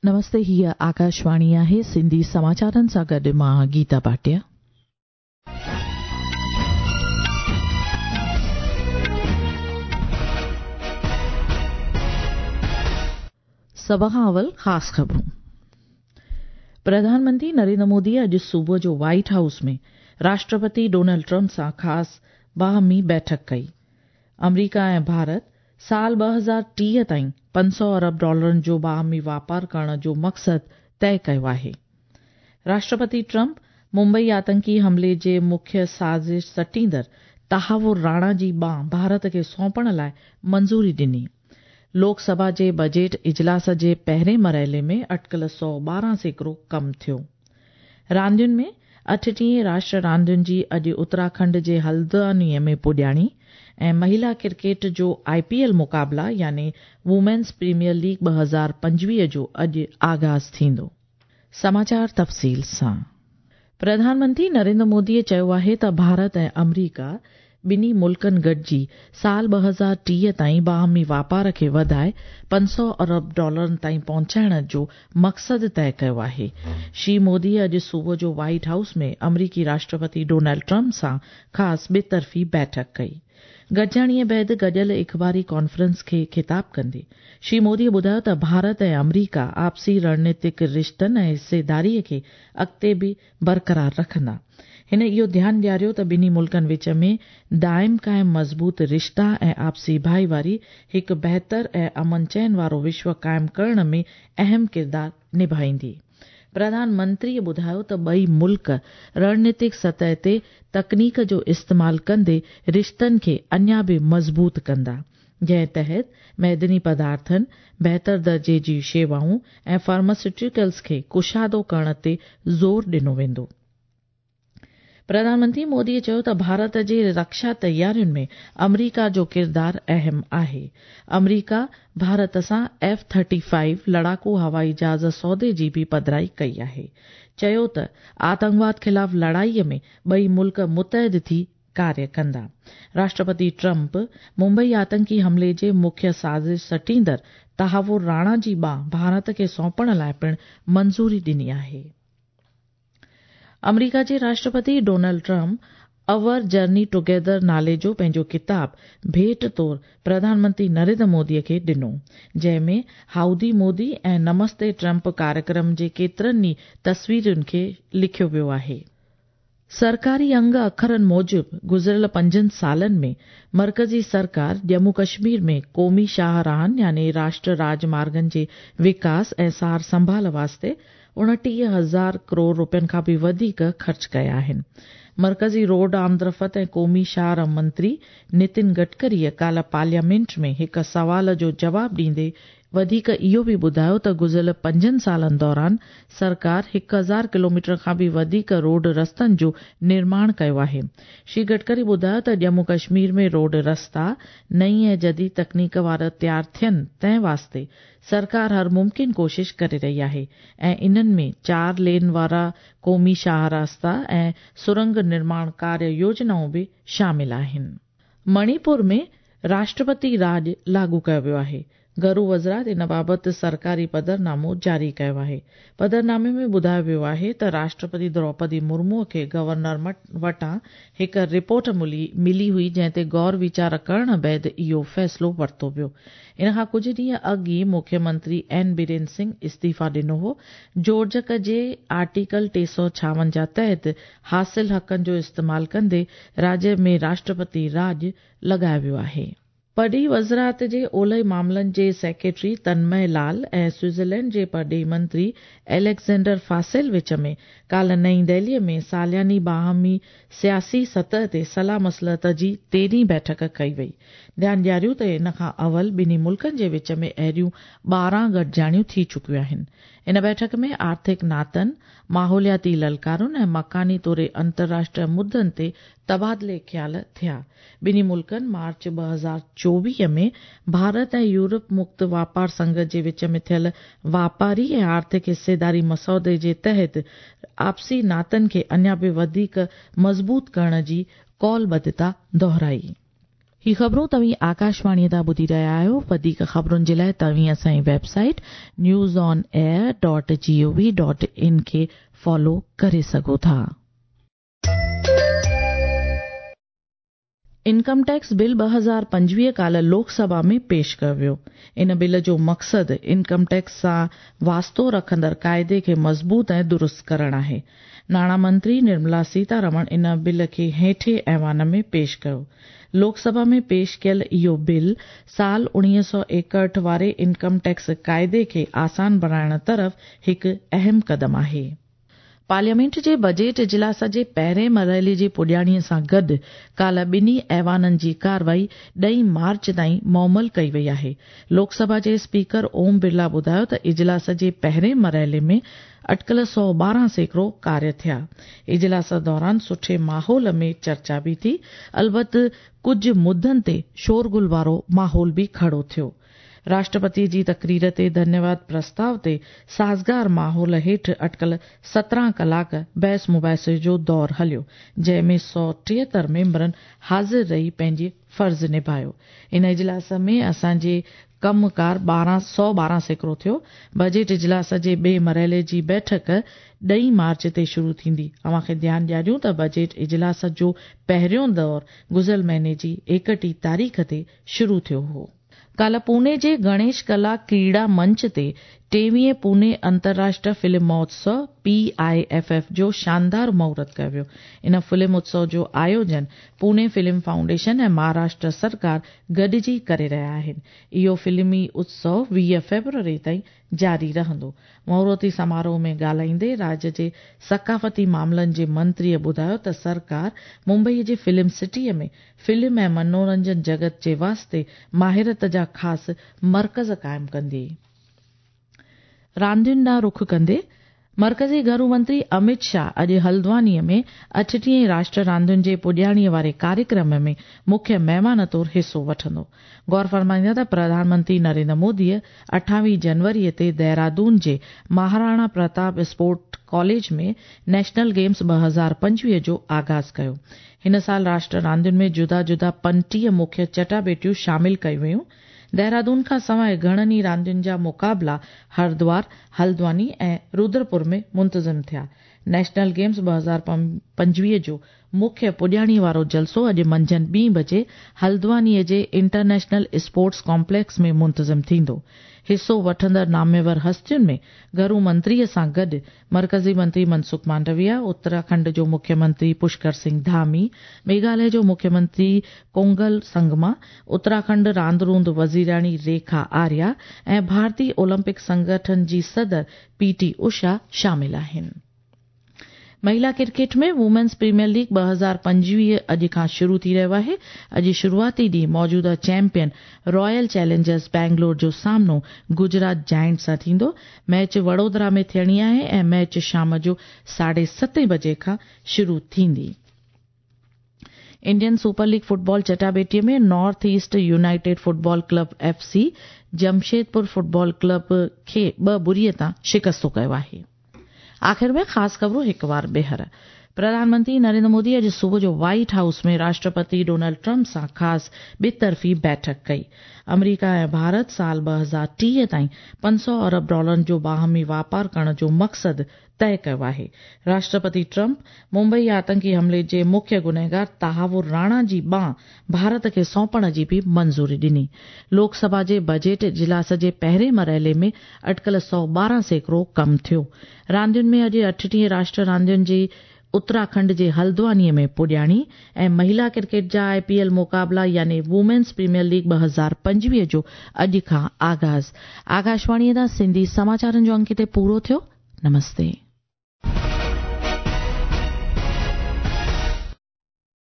نمستي هيء آڪاشواڻي آهي سنڌي سماچارن سان گڏ مان گيتا ڀاٽيا. سڀ کان اول خاص خبرون. پرڌان منتري نريندر مودي اڄ صبح جو white house ۾ Rashtrapati Donald Trump سان خاص باهمي بيٺڪ ڪئي. آمريڪا ۽ ڀارت سال 2030 تائين 500 ارب ڊالرن جو باهمي واپار ڪرڻ جو مقصد طئي ڪيو آهي. راشٽرپتي ٽرمپ ممبئي آتنڪي حملي جي مکيه سازش سٽيندڙ تهور راڻا جي ٻانهن ڀارت کي سونپڻ لاء منظوري ڏني. لوڪ سڀا جي بجيٽ اجلاس جي پهرين مرحلي ۾ اٽڪل 112% ڪم ٿيو. راندين ۾ 38 راشٽر راندين جي اڄ اتراکنڊ جي هلدواني ۾ پڄاڻي ۽ مهلا ڪرڪيٽ جو آء پي ايل مقابلا يعني وومينز پريميئر ليگ 2025 جو اڄ آغاز ٿيندو. سماچار تفصيل سان پرڌان منتري نريندر مودي چيو آهي ته ڀارت ۽ آمريڪا ٻنهي ملڪن گڏجي سال 2030 تائين باهمي واپار کي وڌائي 500 ارب ڊالرن تائين پهچائڻ جو مقصد طئي ڪيو آهي. شري مودي اڄ صبح جو وائيٽ هائوس ۾ آمريڪي راشٽرپتي ڊونلڊ ٽرمپ سان خاص ٻطرفي بيٺڪ ڪئي. گڏجاڻيء بعد گڏيل اخباري ڪانفرنس کي خطاب ڪندي شري مودي ٻڌايو ته ڀارت ۽ آمريڪا آپسي رڻنيتڪ رشتن ۽ حصيداريء کي اڳتي به برقرار رکندا. هن اهو ڌيان ڏياريو ته ٻنهي ملڪن وچ ۾ دائم قائم مضبوط رشتا ۽ آپسي ڀائيواري هڪ بهتر ۽ امن چين وارو وشو قائم ڪرڻ ۾ اهم ڪردار نڀائيندي. پرڌان منتريء ٻڌايو ته ٻئي ملڪ رڻنيتڪ سطح تي تڪنيڪ جو استعمال ڪندي رشتن کي اڃا به مضبوط ڪندا، جنهن تحت معدني پدارٿن، بهتر درجي جي شيوائون ۽ فارماسيوٽيڪلز کي ڪشادو ڪرڻ تي زور ڏنو ويندو. پرڌان منتري مودي چيو ته ڀارت جي رڪشا تيارين ۾ آمريڪا جو ڪردار اهم آهي. آمريڪا ڀارت سان ايف 35 لڙاڪو هوائي جهاز سودي جي به پڌرائي ڪئي آهي. چيو ته آتنڪواد خلاف لڙائي ۾ ٻئي ملڪ متحد ٿي ڪاريه ڪندا. راشٽرپتي ٽرمپ ممبئي آتنڪي حملي جي مکيه سازش سٽيندڙ تهور راڻا جي ٻانهن ڀارت کي سونپڻ لاء پڻ منظوري ڏني آهي. آمريڪا جي Rashtrapati Donald Trump our journey together نالي جو پنهنجو ڪتاب ڀيٽ طور پرڌان منتري نريندر مودي کي ڏنو، جنهن ۾ هائودي مودي ۽ نمستي ٽرمپ ڪاريڪرم جي ڪيترن ئي تصويرن کي لکيو ويو آهي. سرڪاري انگ اکرن موجب گذريل 5 سالن ۾ مرڪزي سرڪار ڄمون ڪشمير ۾ قومي شاهراهن يعني راشٽر راج مارگن جي وڪاس ۽ سار سنڀال واسطي 29,000 ڪروڙ روپين کان به وڌيڪ خرچ ڪيا آهن. مرڪزي روڊ آمدرفت ۽ قومي شاهراهه منتري نتن گڊڪريء ڪالهه پارليامينٽ ۾ هڪ سوال جو جواب ڏيندي وڌيڪ اهو به ٻڌايو ته گذريل 5 سالن دوران سرڪار 1000 ڪلوميٽر کان به وڌيڪ روڊ رستن جو نرماڻ ڪيو آهي. شري گڊڪري ٻڌايو ته ڄمون ڪشمير ۾ روڊ رستا نئين ۽ جديد تڪنيڪ وارا تيار ٿين تنهن واسطي سرڪار هر ممڪن ڪوشش ڪري رهي آهي ۽ انهن ۾ 4 لين وارا قومي شاهه راستا ۽ سرنگ نرماڻ ڪاريه يوجنائون به شامل آهن. مڻيپور ۾ راشٽرپتي راڄ لاڳو ڪيو ويو آهي. گهرو وزارت ان بابت سرڪاري پڌرنامو جاري ڪيو آهي. پڌرنامي ۾ ٻڌايو ويو آهي ته راشٽرپتي دروپدي مرمو کي گورنر وٽان هڪ رپورٽ ملي هئي جنهن تي غور ويچار ڪرڻ بعد اهو فيصلو ورتو ويو. ان کان ڪجهه ڏينهن اڳ ئي مکيه منتري اين بيرين سنگهه استعيفيٰ ڏنو هو. جوڙجڪ جي آرٽيڪل 356 تحت حاصل حقن جو استعمال ڪندي راجيه ۾ راشٽرپتي راڄ لڳايو ويو آهي. پرڏيهي وزارت جي اولهي معاملن جي سيڪريٽري تنمي لال ۽ سوئٽزرلينڊ جي پرڏيهي منتري اليگزينڊر فاسيل وچ ۾ ڪالهه نئين دهلي ۾ سالياني باهمي سياسي سطح تي صلاح مصلحت جي 13 بيٺڪ ڪئي وئي. ڌيان ڏياريون ته ان کان اول ٻنهي ملڪن جي وچ ۾ اهڙيون 12 گڏجاڻيون ٿي چڪيون آهن. ان بيٺڪ ۾ آرٿڪ ناتن، ماحولياتي للڪارن ۽ مڪاني توڙي انترراشٽريه مدن تي تبادلي خيال ٿيا. ٻنهي ملڪن مارچ 2024 ۾ ڀارت ۽ يورپ مڪت واپار سنگهه جي وچ ۾ ٿيل واپاري ۽ آرٿڪ حصيداري مسودي جي تحت آپسي ناتن کي اڃا به وڌيڪ مضبوط ڪرڻ جي قولبڌتا دهرائي. هي خبرون توهين آڪاشواڻيء تان ٻڌي رهيا آهيو. وڌيڪ خبرن جي لاء توهين اسان جي website news on air dot G O V dot in کي فالو ڪري سگهو ٿا. انڪم ٽيڪس بل 2025 ڪالهه لوڪ سڀا ۾ پيش ڪيو ويو. ان بل جو مقصد انڪم ٽيڪس سان واسطو رکندڙ قاعدي کي مضبوط ۽ درست ڪرڻ آهي. ناڻا منتري نرملا سيتارمڻ ان بل کي هيٺين ايوان ۾ پيش ڪيو. لوڪ سڀا ۾ پيش ڪيل اهو بل سال 1961 واري انڪم ٽيڪس قاعدي کي آسان بڻائڻ طرف هڪ اهم قدم آهي. پارليامينٽ جي بجيٽ اجلاس جي پهرين مرحلي جي پڄاڻي سان گڏ ڪالهه ٻنهي ايوانن جي ڪارروائي ڏهين مارچ تائين معمل ڪئي وئي آهي. لوڪ سڀا جي اسپيڪر اوم برلا ٻڌايو ته اجلاس جي پهرين مرحلي ۾ اٽڪل 112% ڪاريه ٿيا. اجلاس دوران سٺي ماحول ۾ چرچا به ٿي، البت ڪجهه مدن تي شورغل وارو ماحول به کڙو ٿيو. راشٽرپتي جي تقرير تي ڌنيواد پرستاء تي سازگار ماحول هيٺ اٽڪل 17 ڪلاڪ بحث مباحثي جو دور هليو، جنهن ۾ 173 ميمبرن حاضر رهي پنهنجي فرض نڀايو. ان اجلاس ۾ اسان جي ڪم ڪار 112% ٿيو. بجيٽ اجلاس جي ٻئي مرحلي جي بيٺڪ ڏهين مارچ تي شروع ٿيندي. اوهان کي ڌيان ڏياريون ته بجيٽ اجلاس جو پهريون دور گذريل مهيني جي 31 تاريخ تي شروع ٿيو هو. ڪالهه پوني جي گڻيش ڪلا ڪريڙا منچ تي ٽيويهين پوني انترراشٽر فلم مهوتسو، PIFF، جو شاندار مهورت ڪيو ويو. ان فلم اتسو جو آيوجن پوني فلم فائونڊيشن ۽ مهاراشٽر سرڪار گڏجي ڪري رهيا آهن. اهو فلمي اتسو 20 فيبروري تائين جاري رهندو. مهورتي سماروهه ۾ ڳالهائيندي راڄ جي ثقافتي معاملن جي منتريء ٻڌايو ته سرڪار ممبئي جي فلم سٽيء ۾ فلم ۽ منورنجن جڳت جي واسطي ماهرت جا خاص مرڪز قائم ڪندي. راندين ڏانهن رخ ڪندي، مرڪزي گهرو منتري اميت شاهه اڄ هلدوانيء ۾ اٺٽيهين راشٽر راندين جي پڄاڻيء واري ڪاريڪرم ۾ مکيه مهمان طور حصو وٺندو. غور فرمائيندا ته پرڌان منتري نريندر موديء اٺاويهه جنوريء تي دهرادون جي Maharana Pratap sports college ۾ national games 2025 جو آغاز ڪيو. هن سال راشٽر راندين ۾ جدا جدا 35 مکيه چٽاڀيٽيون شامل ڪيون ويون. دهرادون کان سواء گهڻن ئي راندين جا مقابلا هردوار، هلدواني ۽ رودرپور ۾ منتظم ٿيا. نيشنل گيمز 2025 جو مکيه پڄاڻي وارو جلسو اڄ منجهند ٻين بجي هلدوانيء جي انٽرنيشنل اسپورٽس ڪامپليڪس ۾ منتظم ٿيندو. حصو وٺندڙ ناميور هستين ۾ گهرو منتريء سان گڏ مرڪزي منتري منسک مانڊويا، اتراکنڊ جو مکيه منتري پشڪر سنگهه ڌامي، ميگهاليه جو مکيه منتري ڪونگل سنگما، اتراکنڊ راند روند وزيرياڻي ريکا آريا ۽ ڀارتي اولمپڪ سنگٺن جي صدر پي ٽي اوشا شامل آهن. مهيلا ڪرڪيٽ ۾ وومينز پريميئر ليگ 2025 اڄ کان شروع ٿي رهيو آهي. اڄ شروعاتي ڏينهن موجوده چيمپيئن رائل چئلينجرز بينگلور جو سامنو گجرات جائنٽس سان ٿيندو. ميچ وڙودرا ۾ ٿيڻي آهي ۽ ميچ شام جو ساڍي ستين بجي کان شروع ٿيندي. انڊين سپر ليگ فٽبال چٽاڀيٽي ۾ north east united football club F C Jamshedpur football club کي ٻه ٻڙي تان شڪستو ڪيو آهي. آخر ۾ خاص خبرون هڪ وار ٻيهر. پرڌان منتري نريندر مودي اڄ صبح جو white house ۾ Rashtrapati Donald Trump سان خاص ٻطرفي بيٺڪ ڪئي. آمريڪا ۽ ڀارت سال 2030 تائين 500 ارب ڊالرن جو باهمي واپار ڪرڻ جو مقصد طئي ڪيو آهي. راشٽرپتي ٽرمپ ممبئي آتنڪي حملي جي مکيه گنهگار تهاور راڻا جي ٻانهن ڀارت کي سونپڻ جي به منظوري ڏني. لوڪ سڀا جي بجيٽ اجلاس جي پهرين مرحلي ۾ اٽڪل 112% ڪم ٿيو. راندين ۾ اڄ اٺٽيهين راشٽر راندين جي اتراکنڊ جي هلدوانيء ۾ پڄاڻي ۽ مهيلا ڪرڪيٽ جا آء پي ايل مقابلا يعني وومينز پريميئر ليگ 2025 جو اڄ کان آغاز. آڪاشواڻيء تان سنڌي سماچارن جو انڪ هتي پورو ٿيو. نمستي.